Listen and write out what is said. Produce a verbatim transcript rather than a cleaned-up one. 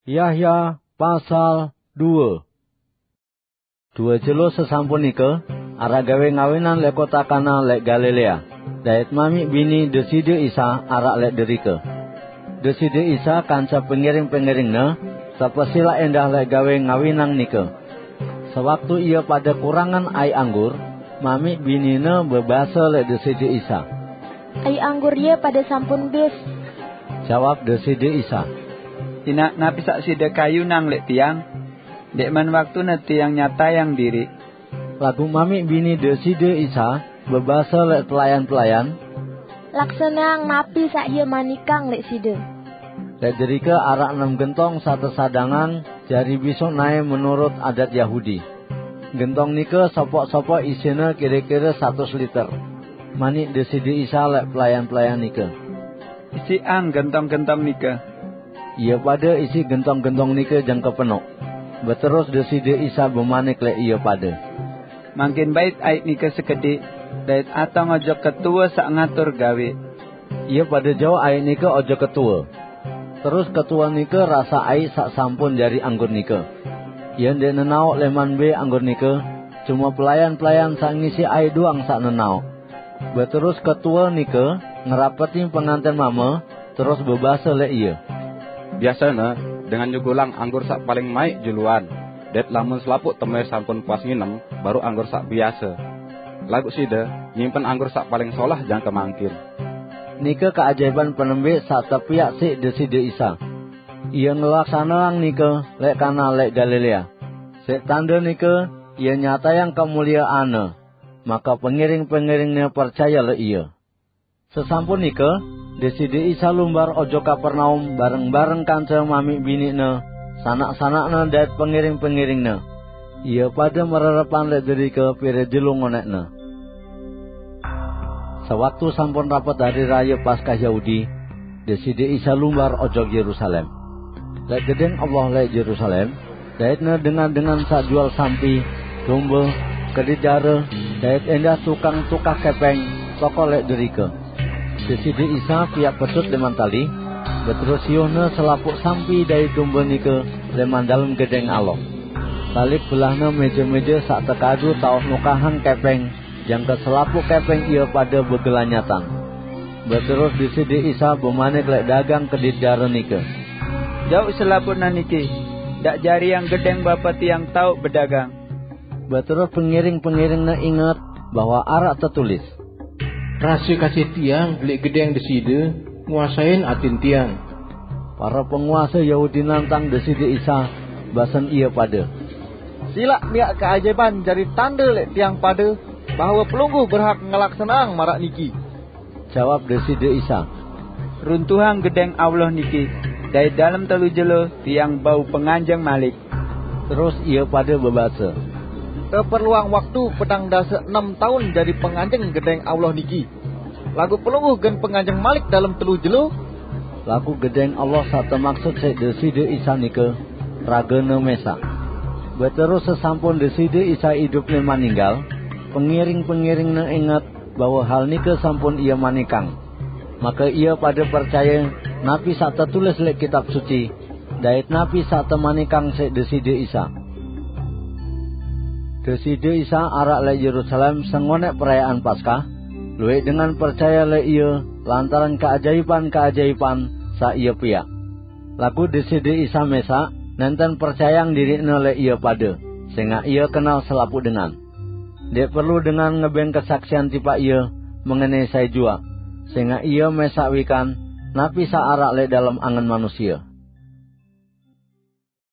Yahya pasal due. Due jelo sesampun nika, araq gawe ngawinan leq kota Kana leq Galilea. Dait mamiq bini Deside Isa araq leq derike. Deside Isa kance pengiring-pengiringne tepesilaq endah leq gawe ngawinang nika. Sewaktu ie pade kurangan aiq anggur, mamiq binine bebase leq Deside Isa. "Aiq anggur ie pade sampun bis," jawab Deside Isa. "Inaq napi saq side kayunang leq tiang? Ndeqman waktune tiang nyatayang diriq." Laguq mamiq bini Deside Isa bebase leq pelayan-pelayan, "Laksaneang napi saq ie manikang leq side." Leq derike araq enem gentong saq tesadangang jari bisuq nae menurut adat Yahudi. Gentong nike sopoq-sopoq isine kire-kire satus liter. Manik Deside Isa leq pelayan-pelayan nike, "Isiqang gentong-gentong nike." Ie pade isiq gentong-gentong nike jangke penoq. Beterus Deside Isa bemanik leq ie pade, "Mangkin bait aiq nike sekediq, dait atong ojok ketuwe saq ngatur gawe." Ie pade jauq aiq nike ojok ketuwe. Terus ketuwe nike rasaq aiq saq sampun jari anggur nike. Ie ndeq nenaoq leman mbe anggur nike, cume pelayan-pelayan saq ngisi aiq doang saq nenaoq. Beterus ketuwe nike ngerapeti penganten mame, terus bebase leq ie, "Biasene dengan nyugulang anggur saq paling maiq juluan, dait lamun selapuq teme sampun puas nginem, baruq anggur saq biase. Laguq side nyimpen anggur saq paling solah jangke mangkin." Nike keajaiban penembiq saq tepiaq siq Deside Isa. Ie ngelaksaneang nike leq Kana leq Galilea. Siq tande nike ie nyatayang kemulieanne, make pengiring-pengiringne percaye leq ie. Sesampun nike, Deside Isa lumbar ojok Kapernaum bareng-bareng kance mamiq biniqne, sanak-sanakne dait pengiring-pengiringne. Ie pade mererepan leq derike pire jelo ngoneqne. Sewaktu sampun rapet Hari Raye Paskah Yahudi, Deside Isa lumbar ojok Yerusalem. Leq Gedeng Allah leq Yerusalem, daitne dengan-dengan saq jual sampi, dombe, kedit dare, dait endah tukang tukah kepeng, tokol leq derike. Deside Isa piaq petut leman tali, beterus siuhne selapuq sampi dait dombe nike leman dalem Gedeng Allah. Tali belahne meje-meje saq tekadu taoq nukahang kepeng, jangke selapuq kepeng ie pade begelanyatan. Beterus Deside Isa bemanik leq dagang kedit dare nike, "Jauq selapuqne niki, ndaq jariang gedeng Bapa tiang taoq bedagang." Beterus pengiring-pengiringne inget bahwe araq tetulis, "Rase kasih tiang leq gedeng Deside nguasein atin tiang." Para penguase Yahudi nantang Deside Isa, basen ie pade, "Silaq miaq keajaiban jari tande leq tiang pade bahwe Pelungguh berhak ngelaksaneang maraq niki." Jawab Deside Isa, "Runtuhang Gedeng Allah niki, dait dalem telu jelo tiang bau penganjeng malik." Terus ie pade bebase, "Teperluang waktu petang dase enem taun jari penganjeng Gedeng Allah niki. Laguq Pelungguh gen penganjeng malik dalem telu jelo." Laguq Gedeng Allah saq temaksut siq Deside Isa nike ragene mesaq. Beterus sesampun Deside Isa idup leman ninggal, pengiring-pengiringne inget bahwe hal nike sampun ie manikang. Make ie pade percaye napi saq tetulis leq Kitab Suci, dait napi saq temanikang siq Deside Isa. Deside Isa araq leq Yerusalem sengoneq perayaan Paskah, luwih dengan percaye leq Ie lantaran keajaipan-keajaipan saq Ie piaq. Laguq Deside Isa mesaq nenten percayang diriqne leq ie pade, sengaq Ie kenal selapuq dengan. Ndeq perlu dengan ngebeng kesaksian tipaq Ie mengenai sai juaq, sengaq Ie mesaq wikan napi saq araq leq dalem angen manusie.